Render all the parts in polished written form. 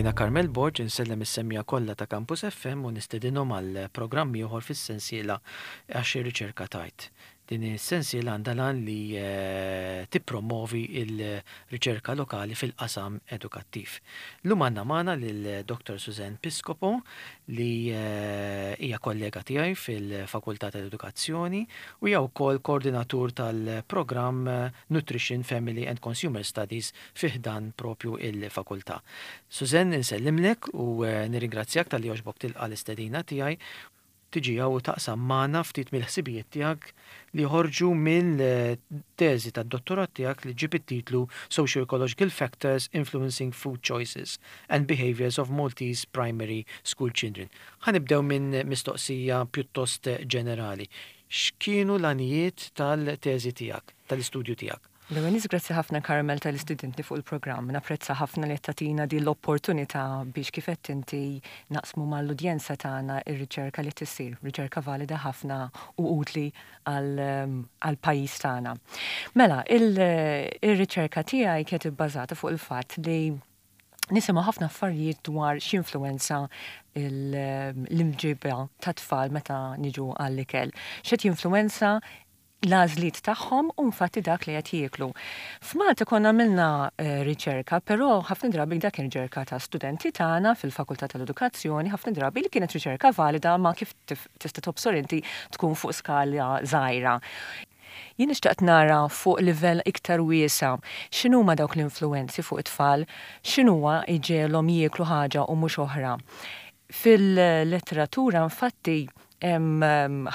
Jiena Carmel Borg insellem is-semmiegħa kollha ta' Campus FM u nistedinhom għal programm ieħor fis-sensiela Għax ir-Riċerka Tgħid. Din is-sensiela għandha l-għan li tippromwovi l-riċerka lokali fil-qasam edukattiv. Llum għandna magħna lil Dottor Suzanne Piscopo li hija kollega tiegħi fil-Fakultà tal-Edukazzjoni u hija wkoll koordinatur tal-programm Nutrition, Family and Consumer Studies fi ħdan propju il-fakultà. Suzanne, insellimlek u nirringrazzjak talli għoġbok tilqa' l-istedina tiegħi tiġi hawn u taqsam magħna ftit mill-ħsibijiet tiegħek li joħorġu mill-teżi tad-dottorat tiegħek li ġġib it-titlu Socio-Ecological Factors Influencing Food Choices and Behaviours of Maltese Primary School Children. Ħa nibdew minn mistoqsija pjuttost ġenerali. X'kienu l-għanijiet tal-teżi tiegħek, tal-istudju tiegħek? L-ewwel nett grazzi ħafna Carmel talli stidintni fuq il-programm. Napprezza ħafna li qed tagħtina din l-opportunità biex kif għedt inti naqsmu mal-udjenza tagħna r-riċerka li qed issir, riċerka valida ħafna u utli għall-pajjiż tagħna. Mela, ir-riċerka tiegħi kienet ibbażata fuq il-fatt li nisimgħu ħafna affarijiet dwar x'influwenza l-imġiba tat-tfal meta niġu għall-ikel. X'qed jinfluwenza l-għażliet tagħhom u infatti dak li qed jieklu. F'Malta konna għamilna riċerka, però ħafna drabi dak kien riċerka ta' studenti tagħna fil-Fakultà tal-Edukazzjoni, ħafna drabi li kienet riċerka valida ma kif tista' tobsor inti tkun fuq skala żgħira. Jien xtaqt nara fuq livell iktar wiesa' x'inhuma dawk l-influwenzi fuq it-tfal, x'inhuwa jġegħelhom jieklu ħaġa u mhux oħra. Fil-letteratura infatti hemm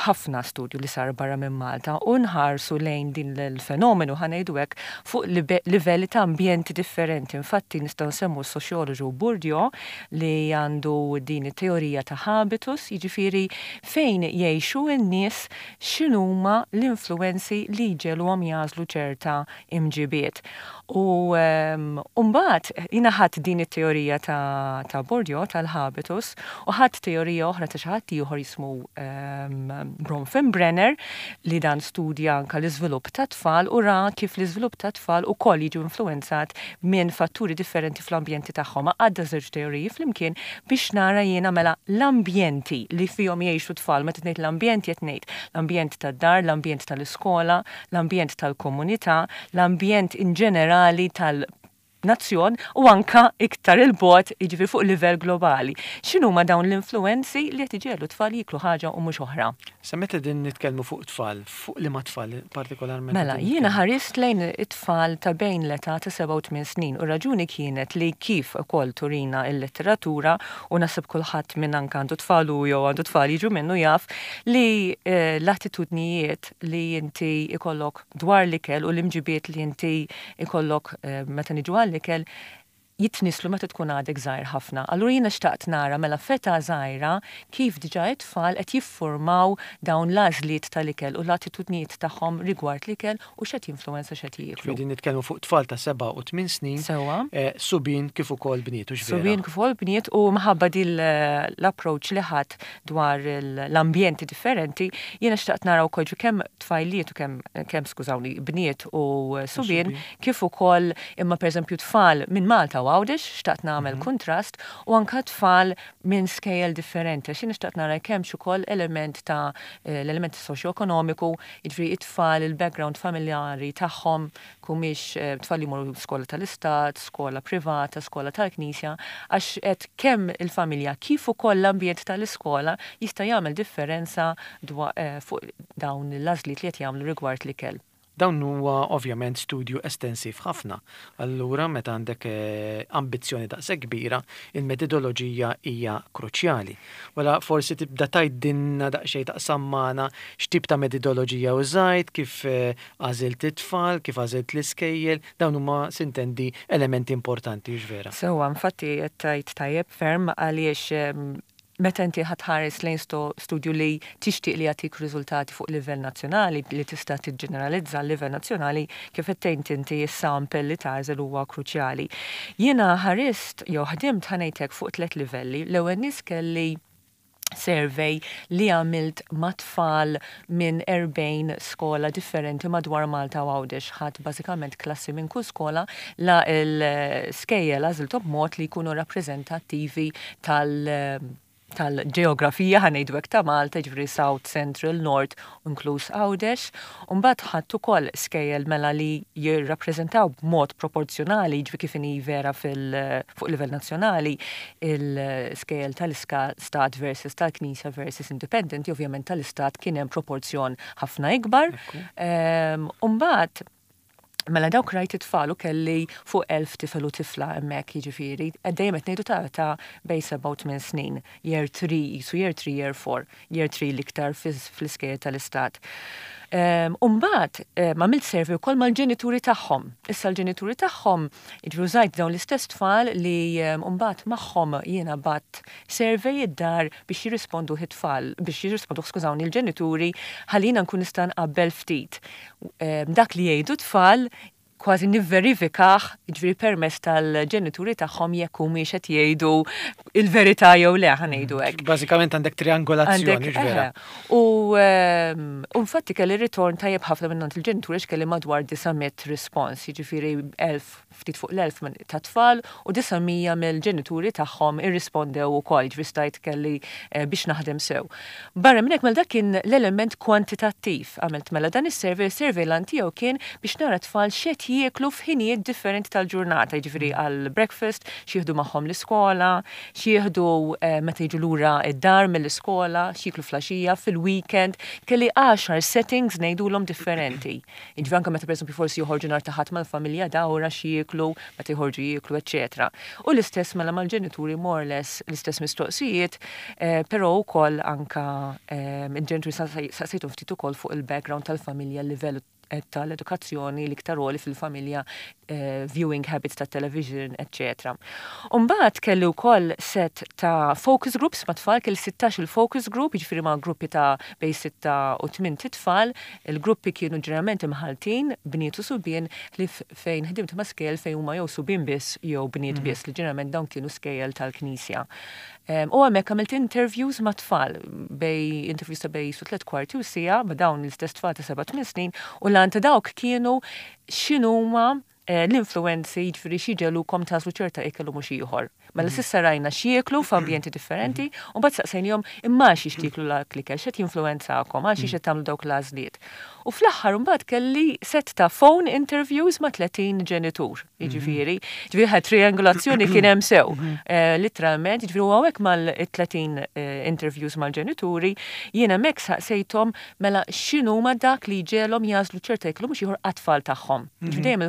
ħafna studju li sar barra minn Malta u nħarsu lejn din l-fenomenu ħa ngħidu hekk fuq livelli ta' ambjenti differenti. Infatti nistgħu nsemmu s-soċjoloġu Bourdieu li għandu din it-teorija ta' habitus, jiġifieri fejn jgħixu n-nies x'inhuma l-influwenzi li jġegħluhom jagħżlu ċerta imġibiet. U mbagħad jiena ħadt din it-teorija ta' ta' Bourdieu tal-habitus u ħadt teorija oħra ta' xi ħadd ieħor jismu Bronfenbrenner li dan studja anke l-iżvilupp tat-tfal u ra kif l-iżvilupp tat-tfal ukoll jiġu influwenzat minn fatturi differenti fl-ambjenti tagħhom. Għaqqadda żewġ teoriji flimkien biex nara jiena mela l-ambjenti li fihom jgħixu t-tfal, meta ngħid l-ambjenti qed ngħid l-ambjent tad-dar, l-ambjent tal-iskola, l-ambjent tal-komunità, l-ambjent in ġenerali tal-nazzjon u anka iktar 'il bogħod, jiġifieri fuq livell globali. X'inhuma dawn l-influwenzi li qed iġegħlu t-tfal jieklu ħaġa u mhux oħra? Sa meta qegħdin nitkellmu fuq tfal, fuq liema tfal partikolarment Mela, jiena ħarist lejn it-tfal ta' bejn l-età ta' seba' u tmien snin u r-raġuni kienet li kif ukoll turina l-letteratura u naħseb kulħadd minn anke għandu tfal hu jew għandu tfal jiġu minnu jaf li l-attitudnijiet li inti jkollok dwar l-ikel u l-imġibiet li inti jkollok meta niġu għall-ikel jitnisslu meta tkun għadek żgħir ħafna. Allura jiena xtaqt nara mela f'età żgħira kif diġà it-tfal qed jiffurmaw dawn l-għażliet tal-ikel u l-attitudnijiet tagħhom rigward l-ikel u x'qed jinfluwenza x'qed jieklu. Ġifieri qegħdin nitkellmu fuq tfal ta' seba' u tmien snin. Sewwa. Subien kif ukoll bniet, hux vera? Subien kif ukoll bniet u minħabba din l-approach li ħadt dwar l-ambjenti differenti, jiena xtaqt nara wkoll ġifieri kemm tfajliet u kemm kemm skużawni bniet u subien kif ukoll imma pereżempju tfal minn Malta u Għawdex, xtaqt nagħmel kuntrast, u anke tfal minn skejjel differenti għax jiena xtaqt nara jekk hemmx ukoll element ta' l-element soċjoekonomiku, jiġifieri t-tfal il-background familjari tagħhom humiex tfal li jmorru skola tal-istat, skola privata, skola tal-knisja, għax qed kemm il-familja kif ukoll l-ambjent tal-iskola jista' jagħmel differenza fuq dawn l-għażliet li qed jagħmlu rigward l-ikel. Dawn huwa ovvjament studju estensiv ħafna. Allura meta għandek ambizzjoni daqshekk kbira, il-metodoloġija hija kruċjali. Mela forsi tibda tgħidilna daqsxejn taqsam magħna x'tip ta' metodoloġija użajt, kif Għażilt it-tfal, kif għażilt l-iskejjel, dawn huma sintendi elementi importanti, hux vera? Sewwa, infatti qed tgħid tajjeb ferm għaliex meta inti ħa tħares lejn studju li tixtieq li jagħtik riżultati fuq livell nazzjonali, li tista' tiġġeneralizza għal livell nazzjonali, kif qed tgħid inti s-sample li tagħżel huwa kruċjali. Jiena ħarist jew ħdimt ħa ngħid hekk fuq tlett livelli. L-ewwel nies kelli. survey li għamilt ma' tfal minn 40 skola differenti madwar Malta u Għawdex. Ħadt bażikament klassi minn kull skola la l-skejjel għażilthom b'mod li jkunu rappreżentattivi tal- tal-ġeografija ħa ngħidu hekk ta' Malta, jiġifieri South, Central, North, inkluż Għawdex. U mbagħad ħadt ukoll skejjel mela li jirrappreżentaw b'mod proporzjonali, jiġifieri kif inhi vera fil fuq livell nazzjonali, il-skejjel tal-istat versus tal-Knisja versus independenti, ovvjament tal-istat kien hemm proporzjon ħafna ikbar. U mbagħad mela dawk rajt it-tfal u kelli fuq 1000 tifel u tifla hemmhekk jiġifieri, dejjem qed ngħidu ta' ta' bejn 7 u 8 snin, year 3, qisu year 3, year 4, year 3 l-iktar fl-iskejjel tal-istat. U mbagħad għamilt survey ukoll mal-ġenituri tagħhom. Issa l-ġenituri tagħhom, jiġifieri użajt dawn l-istess tfal li mbagħad magħhom jiena bgħatt survey id-dar biex jirrisponduh it-tfal, biex jirrisponduh skużawni l-ġenituri ħalli jiena nkun nista' nqabbel ftit dak li jgħidu t-tfal kważi nivverifikah, jiġifieri permezz tal-ġenituri tagħhom jekk humiex qed jgħidu il-verità jew le ħa ngħidu hekk. Bażikament għandek triangolazzjoni, vera. U infatti kelli ritorn tajjeb ħafna minn il-ġenituri għax kelli madwar 900 respons, jiġifieri 1000 ftit fuq l-1000 ta' tfal u 900 mill-ġenituri tagħhom irrispondew ukoll, jiġifieri stajt kelli biex naħdem sew. Barra minn hekk mela dak kien l-element kwantitattiv. Għamilt mela dan is-survey, is-survey l tiegħu kien biex nara tfal x'qed jieklu f'ħinijiet differenti tal-ġurnata, jiġifieri għal breakfast, x'jieħdu magħhom l-iskola, x'jieħdu meta jiġu lura id-dar mill-iskola, x'jieklu filgħaxija, fil-weekend, kelli 10 settings ngħidulhom differenti. Jiġifieri anke meta pereżempju forsi joħorġu nhar ta' Ħadd mal-familja dawra x'jieklu, meta joħorġu jieklu, eċetera. U l-istess mela mal-ġenituri more or less l-istess mistoqsijiet, però wkoll anka il-ġenituri saqsejthom ftit ukoll fuq il-background tal-familja, l-livell tal-edukazzjoni l-iktar għoli fil-familja, viewing habits ta' television, etc. Umbagħad kelli wkoll set ta' focus groups ma' tfal, kelli 16 il-focus group, jiġifieri ma' gruppi ta' bejn 6 u 8 tfal. Il-gruppi kienu ġeneralment imħaltin, bniet u subien, li fejn ħdimt ma' skejjel fejn huma jew subien biss jew bniet biss, li ġeneralment dawn kienu skejjel tal-Knisja. U hemmhekk għamilt interviews ma' tfal, bejn interviews ta' bejn su 3/4 u siegħa ma' dawn l-istess tfal ta' 7-8 snin, u l ta' dawk kienu x'inhuma l-influenzi, jiġifieri x'iġegħlukom tagħżlu ċerta ikel u mhux ieħor. Mela s'issa rajna x'jieklu f'ambjenti differenti, u mbagħad saqsejnihom imma xiex tieklu l-ikel, x'qed jinfluwenzakom, għal xiex qed tagħmlu dawk l-għażliet. U fl-aħħar mbagħad kelli set ta' phone interviews ma' 30 ġenitur, jiġifieri ħa triangolazzjoni kien hemm sew. Literalment, jiġifieri u hawnhekk mal-30 interviews mal-ġenituri, jiena hemmhekk saqsejthom mela x'inhuma dak li jġegħelhom jagħżlu ċerta ikel u mhux ieħor għat-tfal tagħhom. Jiġifieri dejjem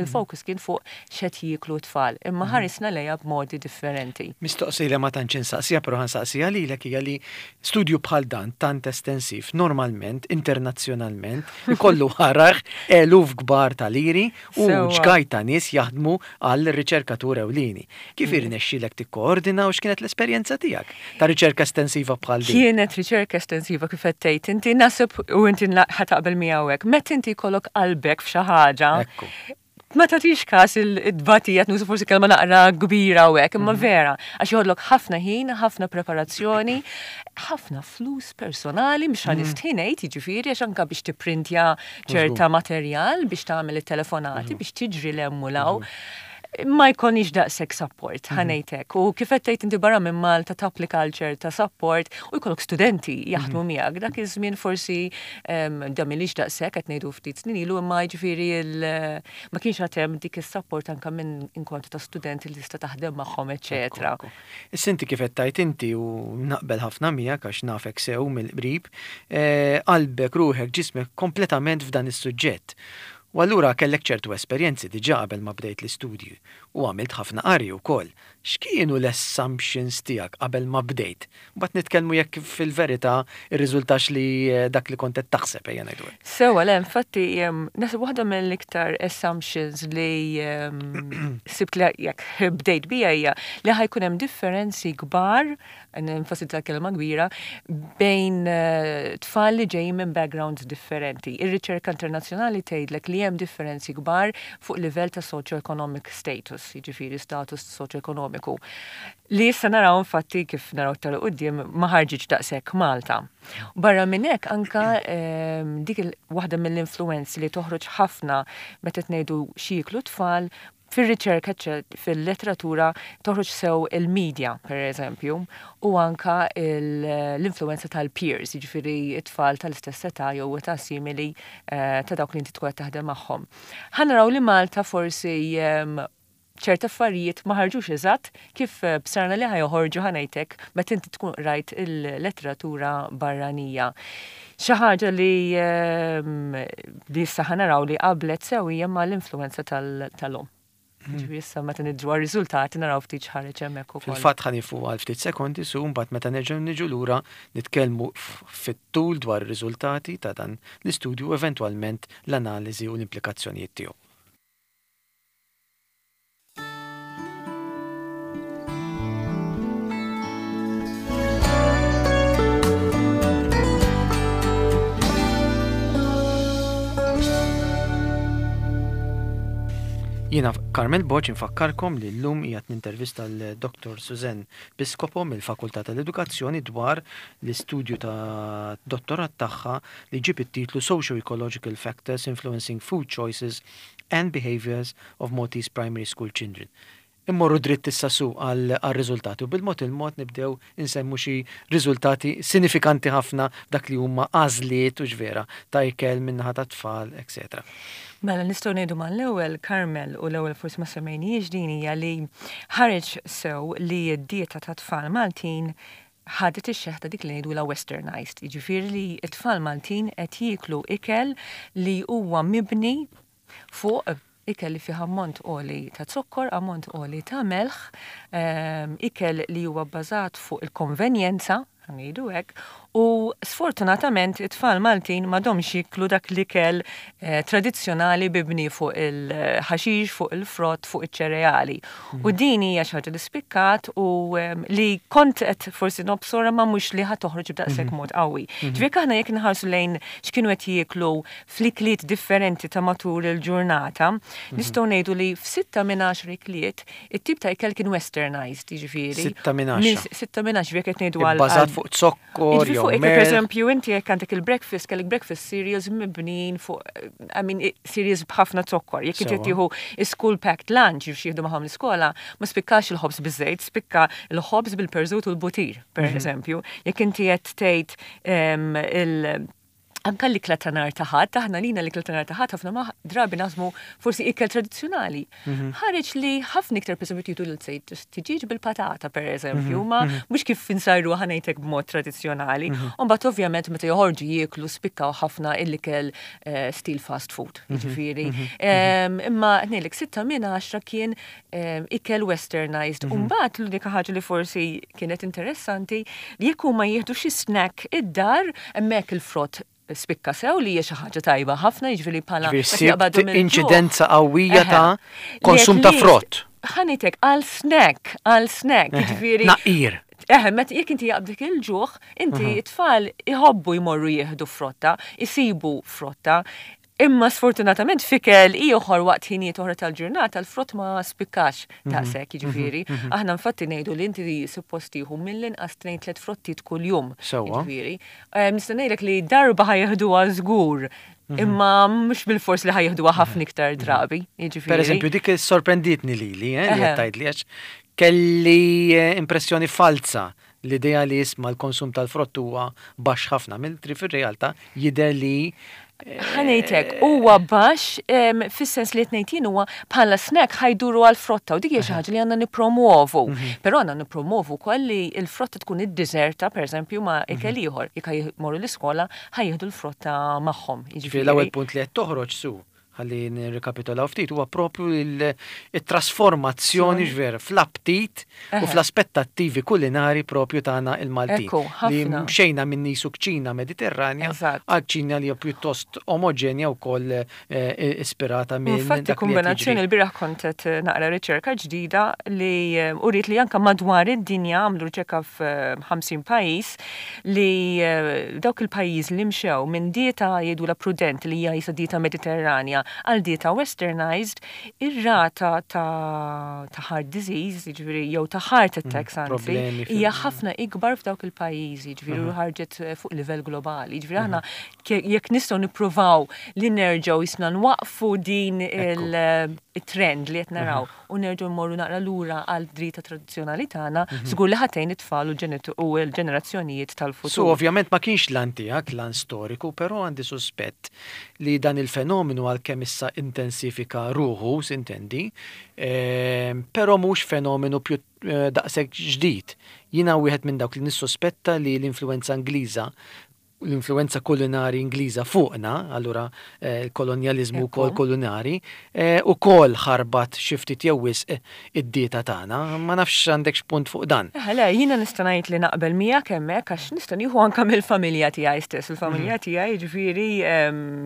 il-focus kien fuq x'qed jieklu t-tfal, imma ħarisna lejha b'modi differenti. Mistoqsija li ma tantx insaqsija, però ħa nsaqsija lilek hija li studju bħal dan tant estensiv normalment internazzjonalment ikollu ħaraġ eluf kbar ta' liri u ġgajt ta' nies jaħdmu għal riċerkatur ewlieni. Kif irnexxielek tikkoordina u x'kienet l-esperjenza tiegħek ta' riċerka estensiva bħal din? Kienet riċerka estensiva kif qed tgħid inti naħseb u inti ħa taqbel miegħu hekk. Meta inti jkollok qalbek f'xi ħaġa, ma tagħtix każ il-tbatija, nuża forsi kelma naqra kbira u hekk, imma vera, għax joħodlok ħafna ħin, ħafna preparazzjoni, ħafna flus personali, mhux ħa nistħi ngħid, jiġifieri għax anke biex tipprintja ċerta materjal, biex tagħmel it-telefonati, biex tiġri 'l hemm u 'l hawn. Ma jkollniex daqshekk support, ħa ngħidlek. U kif qed tgħid inti barra minn Malta tapplika għal ċerta support u jkollok studenti jaħdmu miegħek. Dak iż-żmien forsi da m'ilix daqshekk qed ngħidu ftit snin ilu, imma jiġifieri ma kienx għad hemm dik is-support anke minn inkontu ta' studenti li tista' taħdem magħhom, eċetera. Issa inti kif qed tgħid inti u naqbel ħafna miegħek għax nafek sew mill-qrib, qalbek, ruħek, ġismek kompletament f'dan is-suġġett. U allura kellek ċertu esperjenzi diġà qabel ma bdejt l-istudji u għamilt ħafna qari wkoll. X'kienu l-assumptions tiegħek qabel ma bdejt? Mbagħad nitkellmu jekk fil-verità irriżultax li dak li kont qed taħseb ejja ngħidu hekk. Sewa, le, infatti, naħseb waħda mill-iktar assumptions li sibt li jekk bdejt bija hija li ħa jkun hemm differenzi kbar, nenfasizza kelma kbira, bejn tfal li ġejjin minn backgrounds differenti. Ir-riċerka internazzjonali tgħidlek li hemm differenzi kbar fuq livell ta' socio-economic status, jiġifieri status socio-ekonomiku. ekonomiku. Li issa naraw infatti kif naraw iktar 'il quddiem ma ħarġitx daqshekk Malta. Barra minn hekk anka dik waħda mill-influenzi li toħroġ ħafna meta qed ngħidu x'jieklu t-tfal fir-riċerka fil-letteratura toħroġ sew il-media, per eżempju, u anka l-influenza tal-peers, jiġifieri t-tfal tal-istess età jew età simili ta' dawk li inti tkun qed taħdem magħhom. Ħa naraw li Malta forsi ċerti affarijiet ma ħarġux eżatt kif bsarna li ħa joħorġu ħa ngħidlek meta inti tkun qrajt il-letteratura barranija. Xi ħaġa li li issa ħa naraw li qablet sew hija mal-influenza tal-omm. Ġifieri issa meta nidru għar-riżultati naraw ftit x'ħareġ hemmhekk ukoll. Fil-fatt ħa nieqfu għal ftit sekondi su mbagħad meta nerġgħu niġu lura nitkellmu fit-tul dwar ir-riżultati ta' dan l-istudju u eventwalment l-analiżi u l-implikazzjonijiet tiegħu. Jiena Carmel Borg infakkarkom li llum qiegħed nintervista l-Dr. Suzanne Piscopo mill-Fakultà tal-Edukazzjoni dwar l-istudju ta' dottorat tagħha li ġib it-titlu Socio-Ecological Factors Influencing Food Choices and Behaviours of Maltese Primary School Children. Immorru dritt issa su għar-riżultati u bil-mod il-mod nibdew insemmu xi riżultati sinifikanti ħafna f'dak li huma għażliet hux vera ta' ikel min-naħa tat-tfal, etc. Mela nistgħu ngħidu mal-ewwel, Carmel, u l-ewwel forsi ma semmejnihiex din hija li ħareġ sew li d-dieta tat-tfal Maltin ħadet ix-xeħ ta' dik li ngħidulha westernized, jiġifieri li t-tfal Maltin qed jieklu ikel li huwa mibni fuq ikel li fih ammont għoli ta' zokkor, ammont għoli ta' melħ, ikel li huwa bbażat fuq il-konvenjenza, ħa ngħidu hekk, u sfortunatament it-tfal Maltin m'għadhomx jieklu dak l-ikel tradizzjonali mibni fuq il-ħaxix, fuq il-frott, fuq iċ-ċereali. U din hija xi ħaġa li spikkat u li kont qed forsi nobsora ma mhux li ħa toħroġ b'daqshekk mod qawwi. Ġifieri jekk aħna jekk inħarsu lejn x'kienu qed jieklu fl-ikliet differenti ta' matul il-ġurnata, nistgħu ngħidu li f'sitta minn għaxar ikliet it-tip ta' ikel kien westernized, jiġifieri. Sitta minn għaxra. Sitta minn għaxra, jekk qed ngħidu għal. Ibbażat fuq zokkor jew fuq ikel, pereżempju, inti jekk għandek il-breakfast, kellek breakfast cereals mibnijin fuq, I mean, cereals b'ħafna zokkor. Jekk inti qed tieħu school packed lunch, jekk jieħdu magħhom l-iskola, ma spikkax il-ħobż biż-żejt, spikka l-ħobż bil-perżut u l-butir, pereżempju. Jekk inti qed tgħid il- Anka l-ikla ta' nhar ta' Ħadd, aħna lina l-ikla ta' nhar ta' Ħadd ħafna ma drabi naħsmu forsi ikel tradizzjonali. Mhm. Ħareġ li ħafna iktar pereżempju tieħdu l sejt tiġiġ bil-patata pereżempju, mhm. ma mhm. mhux kif insajru ħanejtek b'mod tradizzjonali. U mbagħad ovvjament meta joħorġu jieklu spikkaw ħafna l-ikel eh, stil fast food, jiġifieri. Imma ngħidlek sitta minn għaxra kien ikel westernized. U mbagħad l-unika ħaġa li forsi kienet interessanti li jekk huma jieħdu xi snack id-dar hemmhekk il-frott spikka sew li hija xi ħaġa tajba ħafna, jiġifieri bħala inċidenza qawwija ta' konsum ta' frott. Ħanitek għal snack, għal snack, jiġifieri. Naqir. Eħe, meta jekk inti jaqbdek il-ġuħ, inti t-tfal iħobbu jmorru jieħdu frotta, isibu frotta. Imma sfortunatament f'ikel ieħor waqt ħinijiet oħra tal-ġurnata l-frott ma spikkax daqshekk, jiġifieri. Aħna infatti ngħidu li inti suppost tieħu mill-inqas tnejn tliet frottiet kuljum. Sewwa. Jiġifieri. Nista' ngħidlek li darba ħa jeħduha żgur, imma mhux bilfors li ħa jeħduha ħafna iktar drabi, jiġifieri. Pereżempju dik sorprenditni lili, eh, li qed tgħidli għax kelli impressjoni falza L-idea li isma' l-konsum tal-frott huwa baxx ħafna, mentri fir-realtà jidher li Ħa ngħid hekk, huwa baxx fis-sens li qed ngħid jien huwa bħala snack ħa jduru għall-frotta u dik hija xi ħaġa li għandna nippromwovu. Però għandna nippromwovu wkoll li l-frotta tkun iddiżerta pereżempju ma' ikel ieħor. Jekk ħa jmorru l-iskola ħa jieħdu l-frotta magħhom. Jiġifieri l-ewwel punt li qed toħroġ Sue ħalli nirrikapitolaw ftit, huwa propju il-trasformazzjoni ġver fl-aptit u fl-aspettattivi kulinari propju tagħna il-Maltin. Li mxejna minn nisu kċina Mediterranja għal kċina li pjuttost omogenja wkoll eh, ispirata minn. Infatti kombinazzjoni l-bieraħ kont qed naqra riċerka ġdida li eh, uriet li anke madwar id-dinja għamlu riċerka f'50 eh, pajjiż li dawk il-pajjiż li mxew minn dieta jgħidulha prudenti li hija jisa dieta Mediterranja. tagħna għal dieta westernized, ir-rata ta' heart disease, jiġifieri jew ta' heart attacks anzi, hija ħafna ikbar f'dawk il-pajjiżi, jiġifieri u ħarġet fuq livell globali. Jiġifieri aħna jekk nistgħu nippruvaw li nerġgħu jisna nwaqfu din il-trend li qed naraw u nerġgħu nmorru naqra lura għal dieta tradizzjonali tagħna, żgur li ħa tgħin it-tfal u l-ġenerazzjonijiet tal-futur. Su ovvjament ma kienx l-għan tiegħek, l-għan storiku, però għandi suspett li dan il-fenomenu għalkemm issa intensifika ruħu, sintendi, però mhux fenomenu daqshekk ġdid. Jiena wieħed minn dawk li nissuspetta li l-influwenza Ingliża l-influwenza kulinari Ingliża fuqna, allura l-kolonjaliżmu wkoll kulinari, ukoll ħarbat xi ftit jew wisq id-dieta tagħna. Ma nafx għandekx punt fuq dan. Eħe le, jiena nista' ngħid li naqbel miegħek hemmhekk għax nista' nieħu anke mill-familja tiegħi stess. Il-familja tiegħi jiġifieri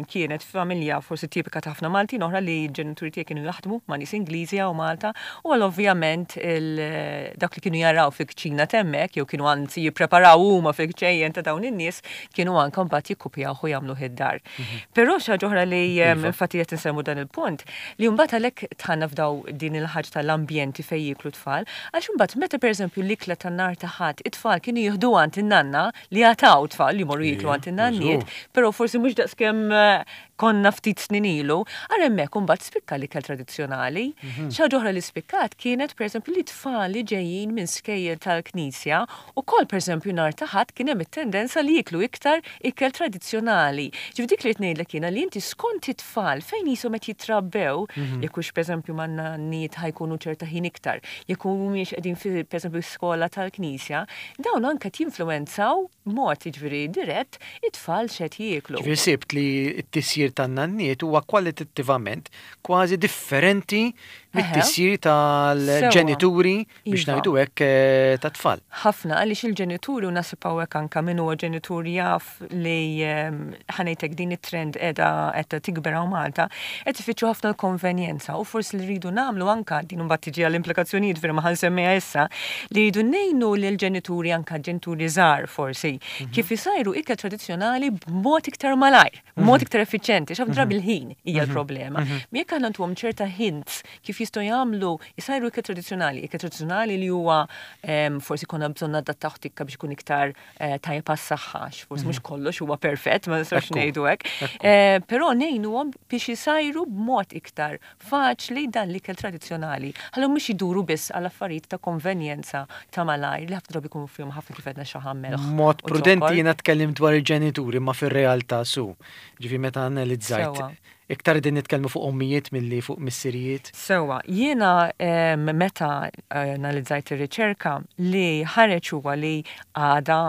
kienet familja forsi tipika ta' ħafna Maltin oħra li l-ġenituri tiegħi kienu jaħdmu ma' nies Ingliżi hawn Malta u għal ovvjament dak li kienu jaraw fil-kċina t'hemmhekk jew kienu anzi jippreparaw huma fil-kċejjen ta' dawn in-nies kienu anke mbagħad jikkupjawh u jagħmluh id-dar. Però xi ħaġa oħra li infatti qed insemmu dan il-punt, li mbagħad għalhekk dħalna f'daw din il-ħaġa tal-ambjenti fejn jieklu t-tfal, għax imbagħad meta pereżempju l-ikla tan-nhar ta' Ħadd it-tfal kienu jieħduha għand in-nanna, li għad hawn tfal li jmorru jieklu għand in-nanniet, però forsi mhux daqskemm konna ftit snin ilu, ara hemmhekk imbagħad spikka l-ikel tradizzjonali. Xi ħaġa oħra li spikkat kienet pereżempju li tfal li ġejjin minn skejjel tal-Knisja ukoll pereżempju nhar ta' Ħadd kien hemm it-tendenza li jieklu iktar ikel tradizzjonali. Ġifieri dik li rrid ngħidlek jiena li inti skont it-tfal fejn qishom qed jitrabbew, jekk hux pereżempju man-nanniet ħa jkunu ċerta ħin iktar, jekk humiex qegħdin fi pereżempju skola tal-Knisja, dawn anke qed jinfluwenzaw b'mod jiġifieri dirett it-tfal x'qed jieklu. Ġifieri sibt li t-tisjir tan-nanniet huwa kwalitattivament kważi differenti mit-tisjir tal-ġenituri biex ngħidu hekk tat-tfal. Ħafna għaliex il-ġenituri u naħseb hawnhekk anke min huwa ġenitur jaf li ħa ngħid hekk din it-trend qiegħda qed tikber hawn Malta, qed ifittxu ħafna l-konvenjenza u forsi li rridu nagħmlu anke din imbagħad tiġi għall-implikazzjonijiet vera ma ħa nsemmiha issa, li rridu ngħinu lill-ġenituri anke ġenituri żgħar forsi kif isajru ikel tradizzjonali b'mod iktar malajr, b'mod iktar effiċjenti, għax ħafna drabi l-ħin hija l-problema. Jekk aħna ntuhom ċerta hints kif jistgħu jagħmlu isajru ikel tradizzjonali, ikel tradizzjonali li huwa forsi konna bżonn nadattawh tikka biex ikun iktar tajjeb għas-saħħa, għax forsi mhux kollox huwa perfett, ma nistgħux ngħidu hekk. Però ngħinuhom biex isajru b'mod iktar faċli dan l-ikel tradizzjonali. Ħalli mhux iduru biss għal affarijiet ta' konvenjenza ta' malajr li ħafna drabi jkunu fihom ħafna kif għedna xaħam melħ. Mod prudenti jiena tkellimt dwar il-ġenituri ma fir-realtà su. Ġifieri meta analizzajt Iktar qegħdin nitkellmu fuq ommijiet milli fuq missirijiet. Sewwa, jiena meta analizzajt ir-riċerka li ħareġ huwa li għadha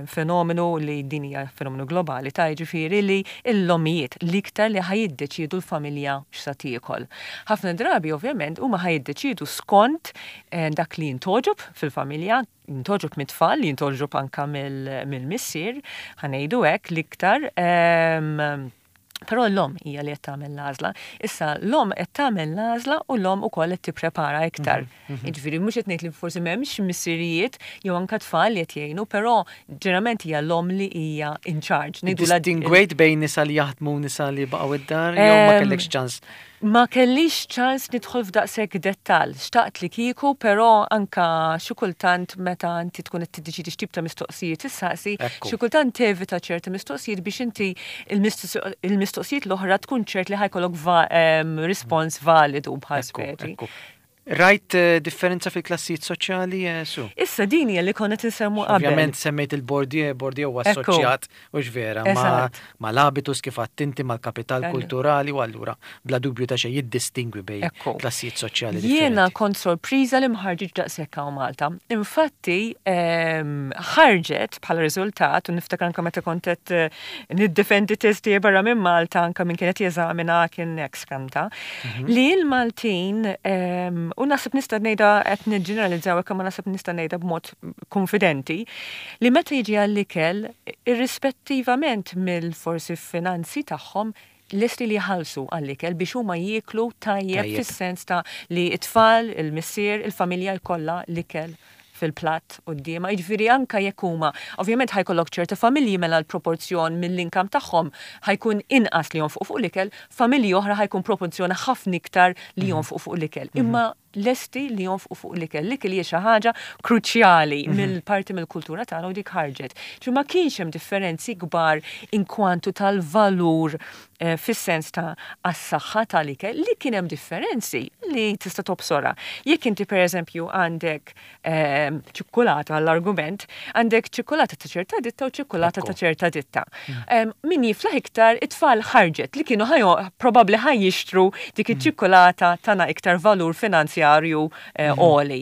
fenomenu li din hija fenomenu globali ta' jiġifieri li l-ommijiet l-iktar li ħa jiddeċiedu l-familja x'sa tiekol. Ħafna drabi ovvjament huma ħa jiddeċiedu skont dak li jintgħoġob fil-familja, jintgħoġob mit-tfal, jintgħoġob anke mill-missier, ħa ngħidu hekk l-iktar. Però l-omm hija li qed tagħmel l-għażla. Issa l-omm qed tagħmel l-għażla u l-omm ukoll qed tipprepara iktar. Jiġifieri mhux qed ngħid li forsi m'hemmx missirijiet jew anke tfal li qed jgħinu, però ġeneralment hija l-omm li hija in charge. Distingwejt bejn nisa li jaħdmu u nisa li baqgħu id-dar jew ma kellekx ċans? Ma kellix ċans nidħol f'daqshekk dettall. Xtaqt li kieku, però anke xi kultant meta inti tkun qed tiddeċiedi x'tip ta' mistoqsijiet issaqsi, xi kultant tevita ċerti mistoqsijiet biex inti il-mistoqsijiet l-oħra tkun ċert li ħa jkollok rispons validu bħal speċi. Rajt differenza fil-klassijiet soċjali, Su? Issa din hija li konna qed insemmu qabel. Ovvjament semmejt il-Bourdieu, Bourdieu huwa assoċjat, hux vera, mal-habitus kif għedt inti, mal-kapital kulturali u allura bla dubju ta' xejn jiddistingwi bejn klassijiet soċjali differenti. Jiena kont sorpriża li ma ħarġitx daqshekk hawn Malta. Infatti ħarġet bħala riżultat u niftakar anke meta kont qed niddefendi test tiegħi barra minn Malta anke min kien qed jeżamina kien hekk skanta. Li l-Maltin, u naħseb nista' ngħidha qed niġġeneralizzaw hekk imma naħseb nista' ngħidha b'mod konfidenti, li meta jiġi għall-ikel, irrispettivament mill-forsi finanzi tagħhom, lesti li jħallsu għall-ikel biex huma jieklu tajjeb fis-sens ta' li t-tfal, il-missier, il-familja jkollha l-ikel. fil-platt quddiemha, jiġifieri anke jekk huma, ovvjament ħa jkollok ċerta familji mela l-proporzjon mill-income tagħhom ħa jkun inqas li jonfqu fuq l-ikel, familji oħra ħa jkun proporzjon ħafna iktar li jonfqu fuq l-ikel. Imma lesti li jonfqu fuq l-ikel. L-ikel hija xi ħaġa kruċjali mill-parti mill-kultura tagħna u dik ħarġet. Ġifieri ma kienx hemm differenzi kbar inkwantu tal-valur fis-sens ta' għas-saħħa tal-ikel li kien hemm differenzi li tista' tobsorha. Jekk inti pereżempju għandek ċikkulata għall-argument, għandek ċikkulata ta' ċerta ditta u ċikkulata ta' ċerta ditta. Min jiflaħ iktar it-tfal ħarġet li kienu ħajo probabbli ħaj jixtru dik iċ-ċikkulata tana iktar valur finanzjarju għoli.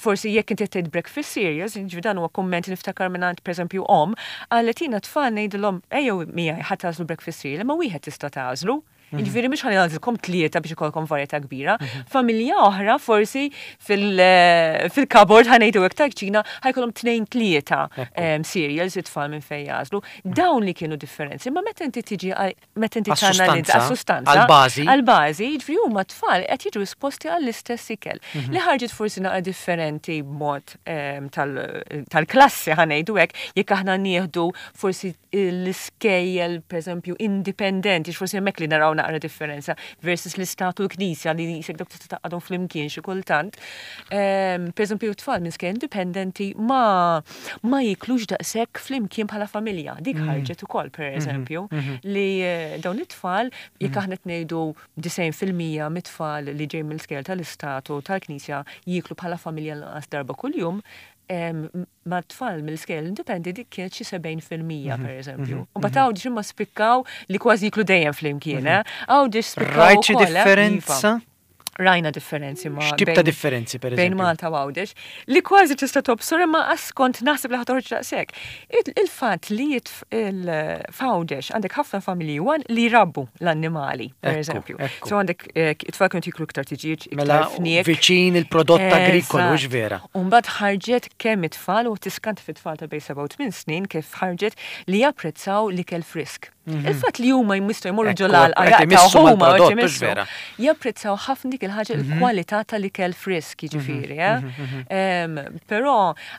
Forsi jekk inti tgħid breakfast cereals, ġifieri dan huwa kumment niftakar mingħand pereżempju omm, qalet jiena tfal ngħidilhom ejjew miegħi ħa tagħżlu breakfast cereal, imma wieħed tista' tagħżlu. Jiġifieri mhux ħa nagħżilkom tlieta biex ikollkom varjetà kbira. Familja oħra forsi fil-cupboard ħa ngħidu hekk tal-kċina ħa jkollhom tnejn tlieta cereals it-tfal minn fejn jagħżlu. Dawn li kienu differenzi, imma meta inti tiġi meta inti tanalizza għas-sustanza. Għall-bażi. Għall-bażi, jiġifieri huma t-tfal qed jiġu esposti għall-istess ikel. Li ħarġet forsi naqra differenti b'mod tal-klassi ħa ngħidu hekk, jekk aħna nieħdu forsi l-iskejjel pereżempju indipendenti, forsi hemmhekk li naraw naqra differenza versus l-istat u l-knisja li jisek dawk tista' taqgħadhom flimkien xi kultant. Pereżempju tfal minn skejjel indipendenti ma ma jiklux daqshekk flimkien bħala familja. Dik ħarġet ukoll pereżempju li dawn it-tfal jekk aħna qed ngħidu 90% mit-tfal li ġej mill-skejjel tal-istat u tal-knisja jieklu bħala familja l-inqas darba kuljum, ma' tfal mill-iskejjel indipendenti dik kienet xi 70% per eżempju. U mbagħad Għawdex imma spikkaw li kważi jiklu dejjem flimkien, eh? Għawdex spikkaw Rajt xi ukoll, eh? Iva. differenza? Rajna differenzi ma' X'tip ta' differenzi, per bejn eżempju? Malta u Għawdex, li kważi tista' tobsor imma qas kont naħseb li ħa toħroġ daqshekk. Il-fatt li f'Għawdex għandek ħafna familji wan li jrabbu l-annimali, per eżempju. So għandek it-tfal kienu jiklu iktar tiġieġ, iktar Mela, fniek. viċin il-prodott agrikolu, hux vera? U mbagħad ħarġet kemm it-tfal u tiskanta fit-tfal ta' bejn 7 u 8 snin kif ħarġet li japprezzaw l-ikel frisk. Il-fatt li huma jistgħu jmorru ġo l-għalqa Qed jaqtgħu imissu huma mal-prodott, qed hux imissu. vera? Japprezzaw ħafna dik il-ħaġa il-kwalità tal-ikel frisk, jiġifieri, eh? Però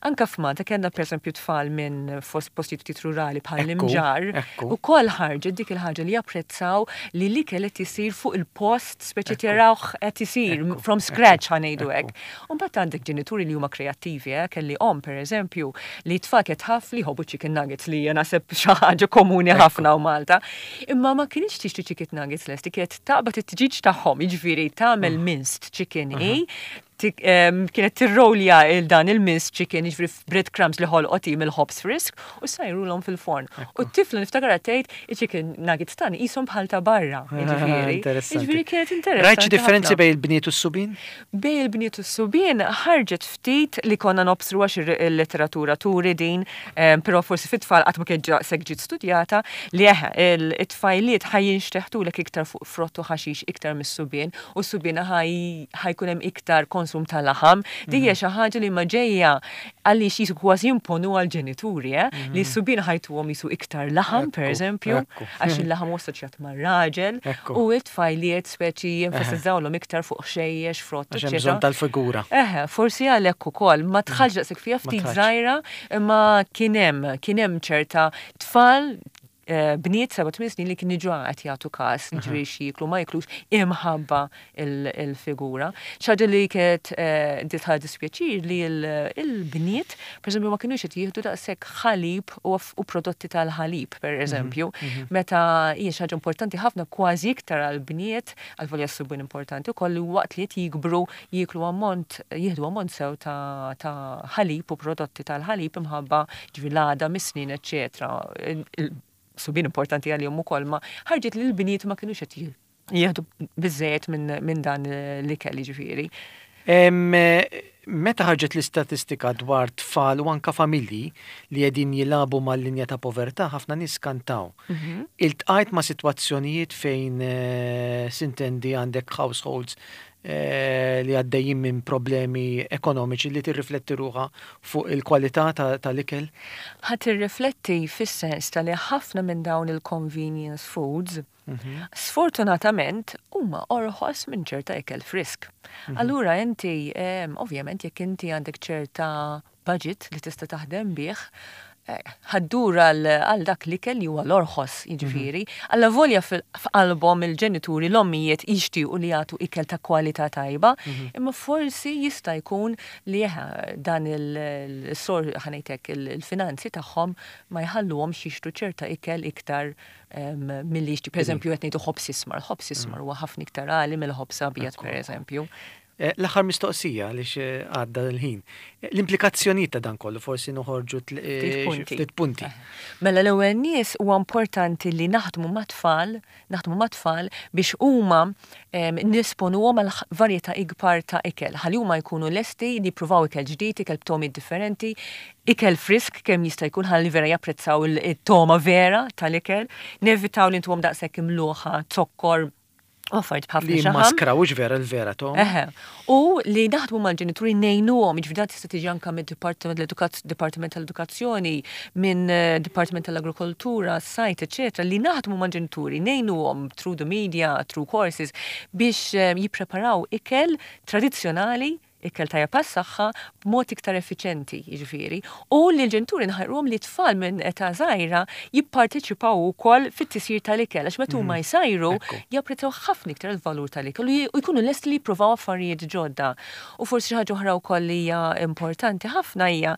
anke f'Malta kellna pereżempju tfal minn fost postijiet ftit rurali bħal l-Imġarr, ukoll ħarġet dik il-ħaġa li japprezzaw li l-ikel qed isir fuq il-post speċi tarawh qed isir from scratch ħa ngħidu hekk. U mbagħad għandek ġenituri li huma kreattivi, eh? Kelli omm pereżempju li t-tfal kienet tħaff li jħobbu chicken nuggets li hija naħseb xi ħaġa komuni ħafna hawn Malta. Imma ma kinitx tixtri chicken nuggets lesti, kienet taqbad it-tiġiġ tagħhom, jiġifieri tagħmel minced chicken hi, kienet tirrolja il dan il-minced chicken, jiġifieri f'bread crumbs li ħolqot hi mill-ħobż frisk u ssajrulhom fil-forn. U t-tifla niftakarha tgħid iċ-chicken nuggets tagħna qishom bħal ta' barra, jiġifieri. Interessanti. Jiġifieri kienet Rajt xi interessanti differenzi ħafna. bejn il-bniet u s-subien? Bejn il-bniet u s-subien ħarġet ftit li konna nobsru għax il-letteratura turi din, però forsi fit-tfal qatt ma kienet daqshekk ġiet studjata, li eħe, it-tfajliet ħa jinxteħtulek iktar fuq frott u ħaxix iktar mis-subien u s-subien ħa jkun hemm iktar konsum ta' laħam. Din hija xi ħaġa li ma ġejja għaliex jisu kważi jimponu għall-ġenituri, eh? Li s-subien ħajtuhom jisu iktar laħam, per eżempju, għax il-laħam huwa assoċjat mar-raġel, u t-tfajliet speċi jenfasizzawlhom iktar fuq ħxejjex, frott, Għax hemm eċċetera. bżonn tal-figura. Eħe, forsi għalhekk ukoll, ma dħalx daqshekk fiha Ma ftit dħalx. żgħira, imma kien hemm, kien hemm ċerta tfal bniet 7-8 snin li kienu ġa qed jagħtu każ, ġifieri x'jieklu ma jiklux imħabba il-figura. Xi ħaġa li kienet ditħal dispjaċir li il-bniet, pereżempju, ma kinux qed jieħdu daqshekk ħalib u prodotti tal-ħalib, pereżempju, meta hija xi ħaġa importanti ħafna kważi iktar għall-bniet, għalvolja s-subien importanti wkoll li waqt li qed jikbru jieklu ammont, jieħdu ammont sew ta' ħalib u prodotti tal-ħalib imħabba ġifieri l-għadam, is-snien, eċċetera. Subien importanti għalihom ukoll, ma ħarġet li l-bniet ma kinux qed jieħdu biżżejjed minn dan l-ikel jiġifieri. Meta ħarġet l-istatistika dwar tfal u anka familji li qegħdin jilagħbu mal-linja ta' povertà, ħafna nies kantaw. Iltqajt ma' sitwazzjonijiet fejn sintendi għandek households li għaddejjin minn problemi ekonomiċi li tirrifletti ruħha fuq il-kwalità tal-ikel? Ħa tirrifletti fis-sens ta' li ħafna minn dawn il-convenience foods sfortunatament huma orħos minn ċerta ikel frisk. Allura inti, ovvjament, jekk inti għandek ċerta budget li tista' taħdem bih, ħa ddur għal dak l-ikel li huwa l-orħos, jiġifieri. Alla volja f'qalbhom il-ġenituri, l-ommijiet jixtiequ li jagħtu ikel ta' kwalità tajba, imma forsi jista' jkun li dan il-sor, ħa ngħidlek, il-finanzi tagħhom ma jħalluhomx jixtru ċerta ikel iktar milli jixtru. Per eżempju, qed ngħidu ħobż ismar. Ħobż ismar huwa ħafna iktar għali mill-ħobż abjad, per eżempju. L-aħħar mistoqsija għaliex għadda l-ħin. L-implikazzjonijiet ta' dan kollu forsi noħorġu ftit punti. Mela l-ewwel nies huwa importanti li naħdmu mat-tfal biex huma nesponuhom għal varjetà ikbar ta' ikel, ħalli huma jkunu lesti li jippruvaw ikel ġdid, ikel b'togħmiet differenti, ikel frisk kemm jista' jkun ħalli vera japprezzaw it-togħma vera tal-ikel, nevitaw li ntuhom daqshekk imluħa, zokkor, u affarijiet b'ħafna Li xaħam. maskrawx vera l-vera tom. Eħe. U li naħdmu mal-ġenituri ngħinuhom, jiġifieri dan tista' tiġi anke mid-Dipartiment tal-Edukazzjoni, minn Dipartiment tal-Agrikoltura, Sajd, eċetera, li naħdmu mal-ġenituri, ngħinuhom through the media, through courses, biex jippreparaw ikel tradizzjonali, ikel tajjeb għas-saħħa b'mod iktar effiċenti, jiġifieri, u li l-ġenituri nħajruhom li tfal minn età żgħira jipparteċipaw ukoll fit-tisjir tal-ikel, għax meta huma jsajru japprezzaw ħafna iktar il-valur tal-ikel u jkunu lesti li jippruvaw affarijiet ġodda. U forsi xi ħaġa oħra wkoll li hija importanti ħafna hija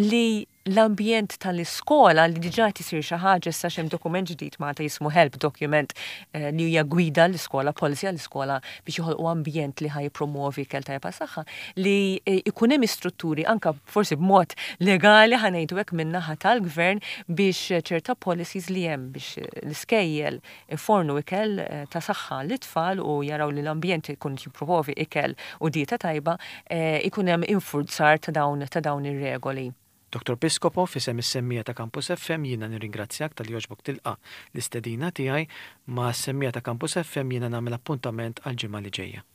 li l-ambjent tal-iskola li diġà tisir xi ħaġa issa hemm dokument ġdid Malta jismu Help Document li hija gwida l-iskola, policy għall-iskola biex joħolqu ambjent li ħa jippromovi ikel tajjeb għas-saħħa, li ikun hemm istrutturi anka forsi b'mod legali, ħa ngħidu hekk, min-naħa tal-gvern biex ċerta policies li hemm biex l-iskejjel ifornu ikel ta' saħħa lit-tfal u jaraw li l-ambjent ikun jippromovi ikel u dieta tajba, ikun hemm infurzar ta' dawn ir-regoli. Dr. Piscopo, f'isem is-semmiegħa ta' Campus FM jiena nirringrazzjak talli għoġbok tilqa' l-istedina tiegħi. Ma' semmiegħa ta' Campus FM jiena nagħmel appuntament għal ġimgħa li ġejja.